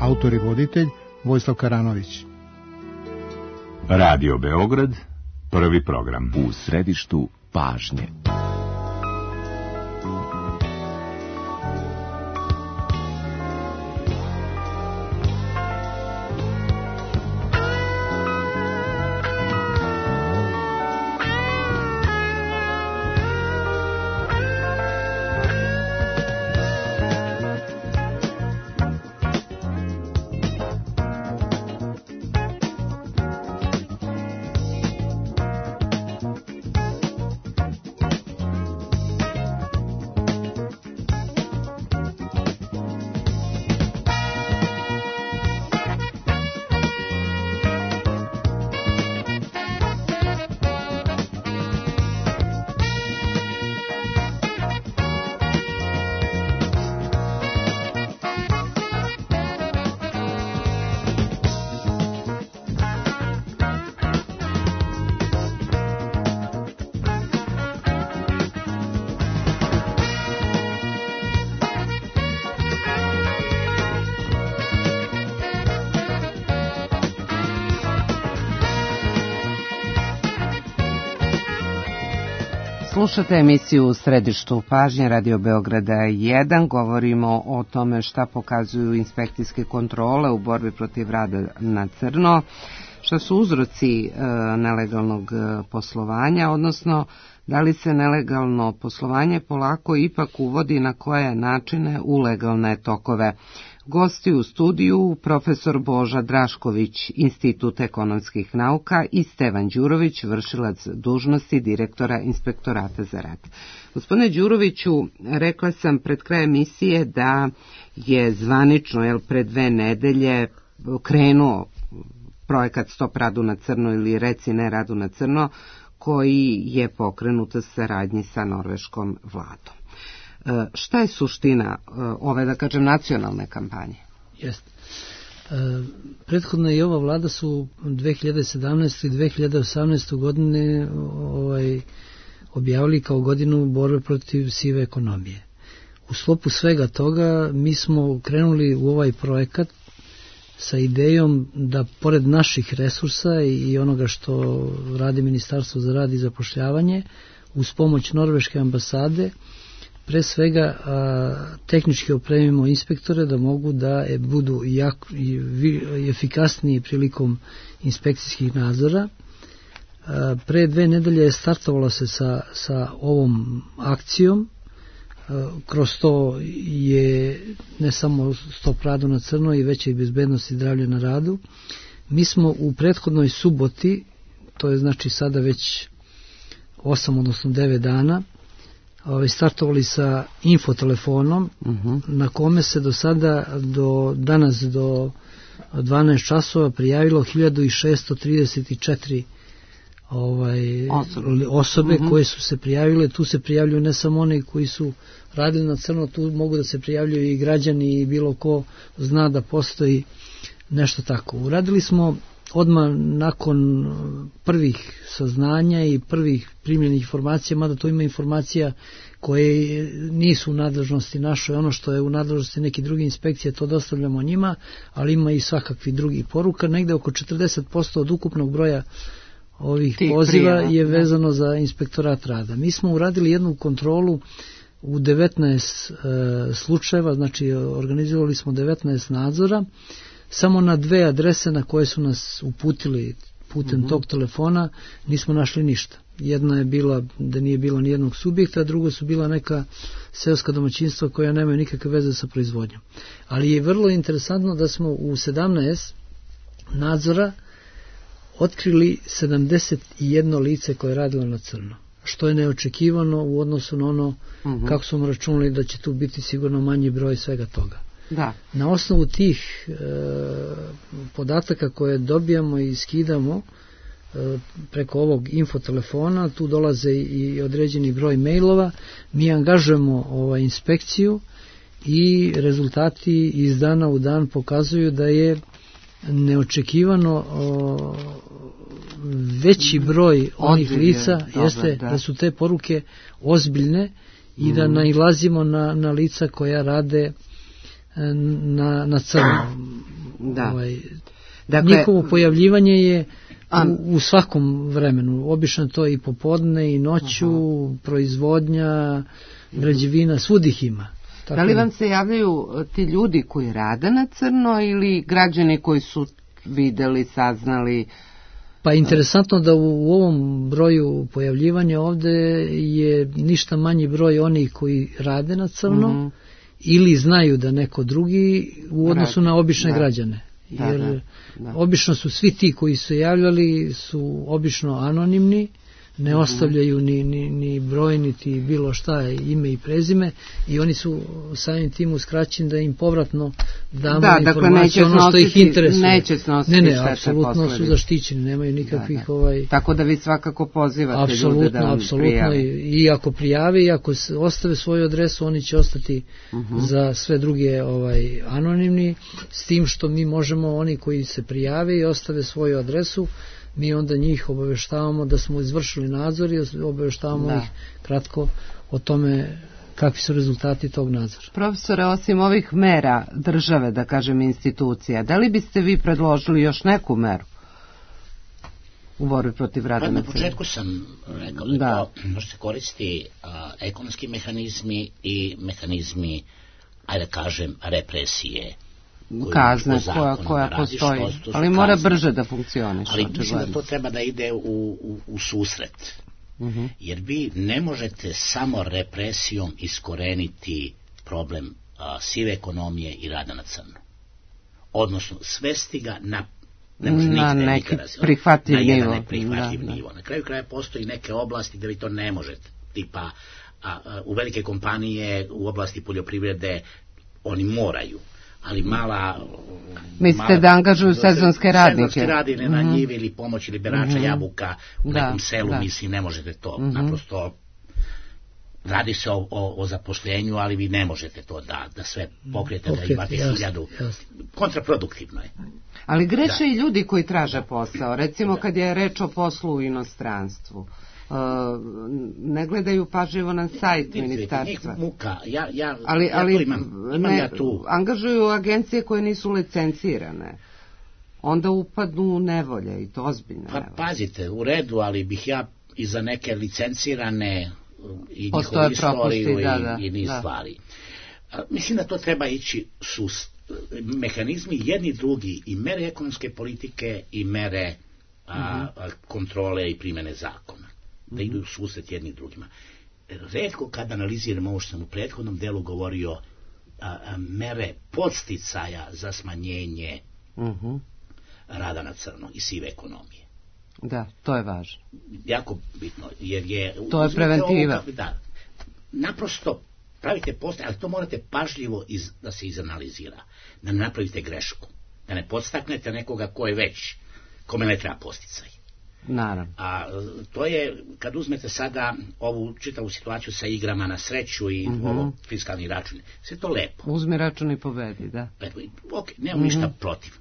Autor i voditelj Vojislav Karanović. Radio Beograd, prvi program. U središtu pažnje. Slušate emisiju u središtu pažnje Radio Beograda jedan. Govorimo o tome šta pokazuju inspekcijske kontrole u borbi protiv rada na crno, šta su uzroci e, nelegalnog poslovanja, odnosno da li se nelegalno poslovanje polako ipak uvodi na koje načine u legalne tokove. Gosti u studiju profesor Boža Drašković, Institut ekonomskih nauka, i Stevan Đurović, vršilac dužnosti direktora Inspektorata za rad. Gospodine Đuroviću, rekla sam pred kraj emisije da je zvanično, jel, pred dve nedelje krenuo projekat Stop radu na crno ili Reci ne radu na crno, koji je pokrenut u saradnji sa norveškom vladom. Šta je suština ove, da kažem, nacionalne kampanje? Jeste. E, prethodna i ova vlada su dve hiljade sedamnaeste i dve hiljade osamnaeste godine ovaj, objavili kao godinu borbe protiv sive ekonomije. U sklopu svega toga mi smo krenuli u ovaj projekat sa idejom da pored naših resursa i onoga što radi Ministarstvo za rad i zapošljavanje, uz pomoć Norveške ambasade pre svega a, tehnički opremimo inspektore da mogu da e, budu jak, i, i efikasniji prilikom inspekcijskih nadzora. A, pre dve nedelje je startovalo se sa, sa ovom akcijom. A, kroz to je ne samo Stop radu na crno i veća i bezbednost i zdravlje na radu. Mi smo u prethodnoj suboti, to je znači sada već osam odnosno devet dana, startovali sa infotelefonom uh-huh. na kome se do sada, do danas do dvanaest časova prijavilo hiljadu šeststo trideset četiri ovaj, osobe, osobe uh-huh. koje su se prijavile. Tu se prijavljuju ne samo oni koji su radili na crno, tu mogu da se prijavljuju i građani i bilo ko zna da postoji nešto tako. Uradili smo odmah nakon prvih saznanja i prvih primljenih informacija, mada to ima informacija koje nisu u nadležnosti našoj, ono što je u nadležnosti neke druge inspekcije, to dostavljamo njima, ali ima i svakakvi drugi poruka. Negde oko četrdeset posto od ukupnog broja ovih Tih poziva prijava je vezano za inspektorat rada. Mi smo uradili jednu kontrolu u devetnaest e, slučajeva, znači organizovali smo devetnaest nadzora, samo na dve adrese na koje su nas uputili putem uh-huh. tog telefona nismo našli ništa. Jedna je bila da nije bilo ni jednog subjekta, a drugo su bila neka seoska domaćinstva koja nemaju nikakve veze sa proizvodnjom. Ali je vrlo interesantno da smo u sedamnaest nadzora otkrili sedamdeset jedno lice koje je radilo na crno, što je neočekivano u odnosu na ono uh-huh. kako smo računali da će tu biti sigurno manji broj svega toga. Da. Na osnovu tih e, podataka koje dobijamo i skidamo e, preko ovog infotelefona, tu dolaze i određeni broj mailova, mi angažujemo ovaj, inspekciju i rezultati iz dana u dan pokazuju da je neočekivano o, veći broj onih Ozbilje, lica dobar, jeste da. da su te poruke ozbiljne i mm. da nailazimo na, na lica koja rade na, na crno. Da. Ovaj, dakle, njihovo pojavljivanje je u, u svakom vremenu. Obično to i popodne i noću, aha. proizvodnja, građevina, svud ih ima. Tako da li vam se javljaju ti ljudi koji rade na crno ili građani koji su videli, saznali? Pa interesantno da u, u ovom broju pojavljivanja ovde je ništa manji broj onih koji rade na crno, mm-hmm. ili znaju da neko drugi u odnosu na obične da. građane. Jer da, da, da. obično su svi ti koji su javljali su obično anonimni, ne mm-hmm. ostavljaju ni, ni, ni broj, niti bilo šta, ime i prezime, i oni su samim tim uskraćeni da im povratno damo da, informacije, dakle, ono što ih interesuje. Neće snositi ne, ne, apsolutno su zaštićeni, nemaju nikakvih... Da, da. Ovaj... Tako da vi svakako pozivate apsolutno, ljude da vam prijave. I ako prijave, i ako ostave svoju adresu, oni će ostati uh-huh. za sve druge ovaj, anonimni, s tim što mi možemo, oni koji se prijave i ostave svoju adresu, mi onda njih obaveštavamo da smo izvršili nadzor i obaveštavamo da. ih kratko o tome kakvi su rezultati tog nadzora. Profesore, osim ovih mera države, da kažem institucija, da li biste vi predložili još neku meru u borbi protiv rada na crno? Na početku sam rekao da, da. to može se koristi a, ekonomski mehanizmi i mehanizmi, ajde da kažem, represije. Kazne koja, koja postoji, što, što ali mora kazne. brže da funkcioniše. Ali mislim da to treba da ide u, u, u susret. Uh-huh. Jer vi ne možete samo represijom iskoreniti problem a, sive ekonomije i rada na crno. Odnosno, svesti ga na, ne može na neki prihvatljiv nivo. Na jedan neprihvatljiv da, nivo. Da. Na kraju kraja postoji neke oblasti gde vi to ne možete. Tipa, a, a, u velike kompanije u oblasti poljoprivrede oni moraju. Ali mala... Mislite mala, da angažuju sezonske radnike? Sezonske radine na njivi ili pomoći liberača mm-hmm. jabuka u da, nekom selu, da. mislim, ne možete to. Mm-hmm. Naprosto, radi se o, o, o zaposlenju, ali vi ne možete to da, da sve pokrijete, okay, da imate jasno, hiljadu. Jasno. Kontraproduktivno je. Ali greše i ljudi koji traže posao. Recimo da. kad je reč o poslu u inostranstvu. Uh, ne gledaju pažljivo na sajt ministarstva. Muka. Ja, ja, ali, ja ali imam, imam ne, ja tu. Angažuju agencije koje nisu licencirane. Onda upadnu u nevolje i to ozbiljno. Pa pazite, u redu, ali bih ja i za neke licencirane i postoje njihovu istoriju propusti, da, da, i, i niz da. stvari. A, mislim da to treba ići sus, mehanizmi jedni drugi i mere ekonomske politike i mere a, a, kontrole i primjene zakona. Da idu u susret jedni drugima. Retko kad analiziramo ovo što sam u prethodnom delu govorio, a, a, mere podsticaja za smanjenje uh-huh. rada na crno i sive ekonomije. Da, to je važno. Jako bitno, jer je... To je preventiva. Ovo, da, naprosto pravite post, ali to morate pažljivo iz, da se izanalizira, da ne napravite grešku, da ne podstaknete nekoga ko je već, kome ne treba posticaj. Naravno. A to je, kad uzmete sada ovu čitavu situaciju sa igrama na sreću i uh-huh. ovo fiskalni račun, sve to lepo. Uzmi račun i pobedi, da. Ok, nemam uh-huh. ništa protiv,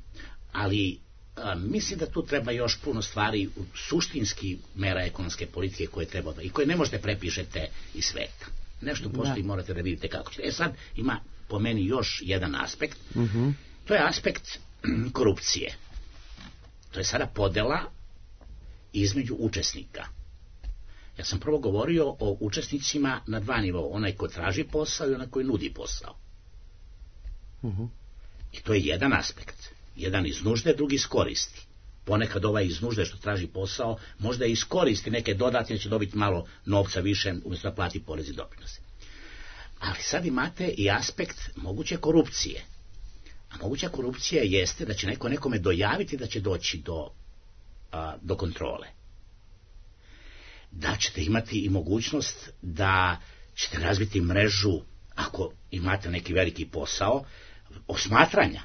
ali a, mislim da tu treba još puno stvari, suštinski mera ekonomske politike koje treba da, i koje ne možete prepišete iz sveta. Nešto postoji, da. Morate da vidite kako ćete. E sad ima po meni još jedan aspekt, uh-huh. to je aspekt korupcije. To je sada podela između učesnika. Ja sam prvo govorio o učesnicima na dva nivoa, onaj ko traži posao i onaj koji nudi posao. Uh-huh. I to je jedan aspekt. Jedan iz nužde, drugi iz koristi. Ponekad ovaj iz nužde što traži posao možda i iskoristi neke dodatne, će dobiti malo novca više umjesto da plati porez i doprinose. Ali sad imate i aspekt moguće korupcije. A moguća korupcija jeste da će neko nekome dojaviti da će doći do A, do kontrole. Da ćete imati i mogućnost da ćete razviti mrežu, ako imate neki veliki posao, osmatranja,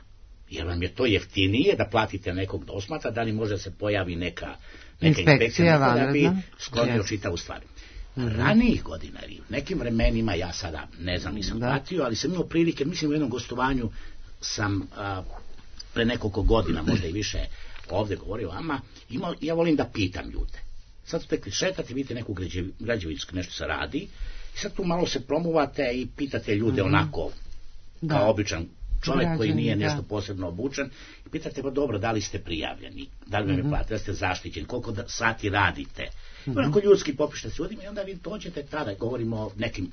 jer vam je to jeftinije da platite nekog da osmatra, da li može da se pojavi neka, neka inspekcija da bi sklonio čitavu stvar. Mm-hmm. Ranijih godina ili u nekim vremenima, ja sada ne znam, nisam da. pratio, ali sam imao prilike, mislim u jednom gostovanju sam a, pre nekoliko godina, možda i više, ovdje govorio vama, ima, ja volim da pitam ljude. Sad ste šetate, vidite neku građevinsku, nešto se radi, i sad tu malo se promuvate i pitate ljude mm-hmm. onako, da. Kao običan čovjek Građani, koji nije nešto da. posebno obučen, i pitate, pa dobro, da li ste prijavljeni, da li vam je plate, da ste zaštićeni, koliko da, sati radite. Mm-hmm. Onako ljudski popišta s ljudima i onda vi dođete tada, govorimo o nekim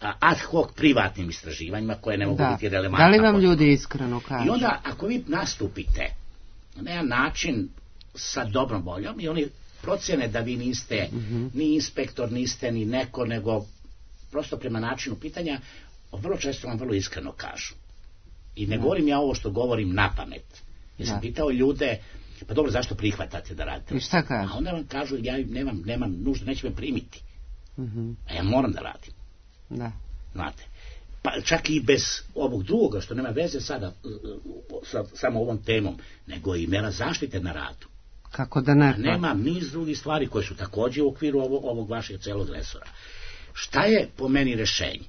a, ad hoc privatnim istraživanjima koje ne mogu da. biti relevantne. Da li vam ljudi iskreno kažu? I onda, ako vi nastupite na jedan način sa dobrom voljom i oni procjene da vi niste mm-hmm. ni inspektor, niste ni neko, nego prosto prema načinu pitanja, vrlo često vam vrlo iskreno kažu. I ne da. govorim ja ovo što govorim na pamet. Ja sam pitao ljude, pa dobro, zašto prihvatate da radite? I šta kažu? A onda vam kažu, ja nemam, nemam nuždu, neće me primiti. Mm-hmm. A ja moram da radim. Da. Znate. Pa čak i bez ovog drugoga, što nema veze sada sa samo ovom temom, nego i mera zaštite na radu. Kako da ne? Nema niz drugih stvari koje su također u okviru ovog, ovog vašeg celog resora. Šta je po meni rešenje?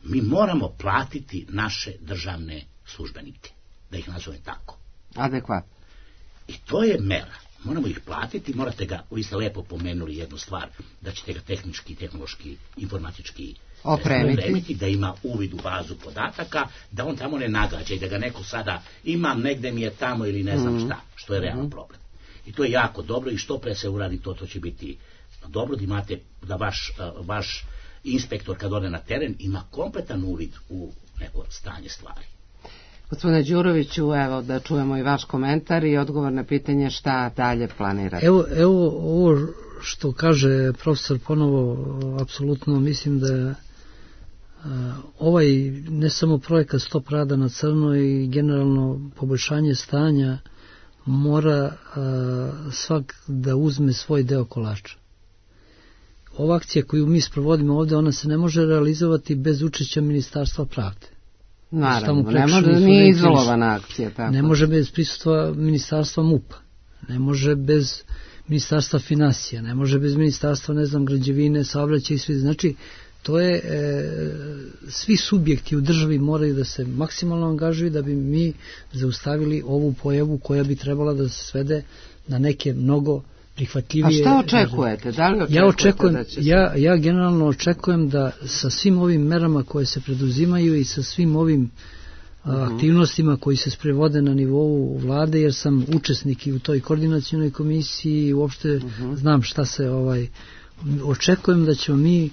Mi moramo platiti naše državne službenike, da ih nazovem tako. Adekvatno. I to je mera. Moramo ih platiti, morate ga, vi ste lepo pomenuli jednu stvar, da ćete ga tehnički, tehnološki, informatički opremiti. opremiti, da ima uvid u bazu podataka, da on tamo ne nagađa i da ga neko sada imam, negde mi je tamo ili ne znam mm-hmm. šta, što je realan problem. I to je jako dobro i što pre se uradi to, to će biti dobro da imate, da vaš, vaš inspektor kad ode na teren ima kompletan uvid u neko stanje stvari. Gospodine Đuroviću, evo da čujemo i vaš komentar i odgovor na pitanje šta dalje planirate. Evo, evo ovo što kaže profesor ponovo, apsolutno mislim da a, ovaj ne samo projekat Stop rada na crno i generalno poboljšanje stanja mora a, svak da uzme svoj deo kolača. Ova akcija koju mi sprovodimo ovdje, ona se ne može realizovati bez učešća Ministarstva pravde. Naravno, ne može, nije izolovana akcija. Tako. Ne može bez prisustva Ministarstva MUP-a, ne može bez Ministarstva financija, ne može bez Ministarstva, ne znam, građevine, saobraćaja i svi. Znači, to je, e, svi subjekti u državi moraju da se maksimalno angažuju da bi mi zaustavili ovu pojavu koja bi trebala da se svede na neke mnogo prihvatljivije. A šta očekujete? Da li očekujete ja očekujem, da će se... ja, ja generalno očekujem da sa svim ovim merama koje se preduzimaju i sa svim ovim aktivnostima koji se sprevode na nivou vlade, jer sam učesnik i u toj koordinacionoj komisiji i uopšte uh-huh. znam šta se ovaj očekujem da ćemo mi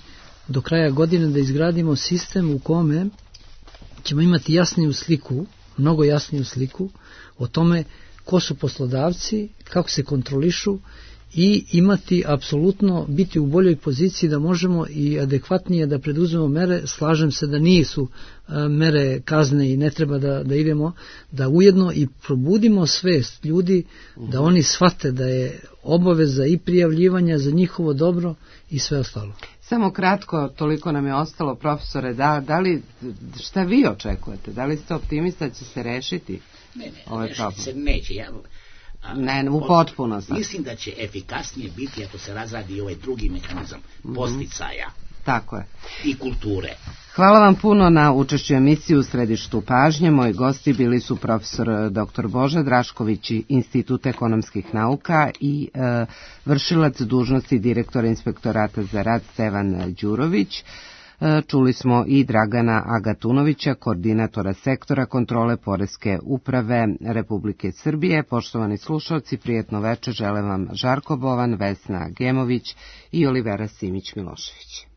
do kraja godine da izgradimo sistem u kome ćemo imati jasniju sliku, mnogo jasniju sliku o tome ko su poslodavci, kako se kontrolišu i imati apsolutno biti u boljoj poziciji da možemo i adekvatnije da preduzmemo mere. Slažem se da nisu a, mere kazne i ne treba da, da idemo, da ujedno i probudimo svest ljudi uh-huh. da oni shvate da je obaveza i prijavljivanja za njihovo dobro i sve ostalo. Samo kratko, toliko nam je ostalo, profesore, da, da li, šta vi očekujete? Da li ste optimista da će se rešiti ne, ne, ovaj rešiti problem? Se neće, ja... A, ne, u potpunosti. Mislim da će efikasnije biti ako se razradi ovaj drugi mehanizam mm-hmm. posticaja. Tako je. I kulture. Hvala vam puno na učešću emisiji U središtu pažnje. Moji gosti bili su profesor doktor Boža Drašković, Institut ekonomskih nauka i e, vršilac dužnosti direktora Inspektorata za rad Stevan Đurović. Čuli smo i Dragana Agatunovića, koordinatora sektora kontrole poreske uprave Republike Srbije. Poštovani slušalci, prijetno večer žele vam Žarko Bovan, Vesna Gemović i Olivera Simić-Milošević.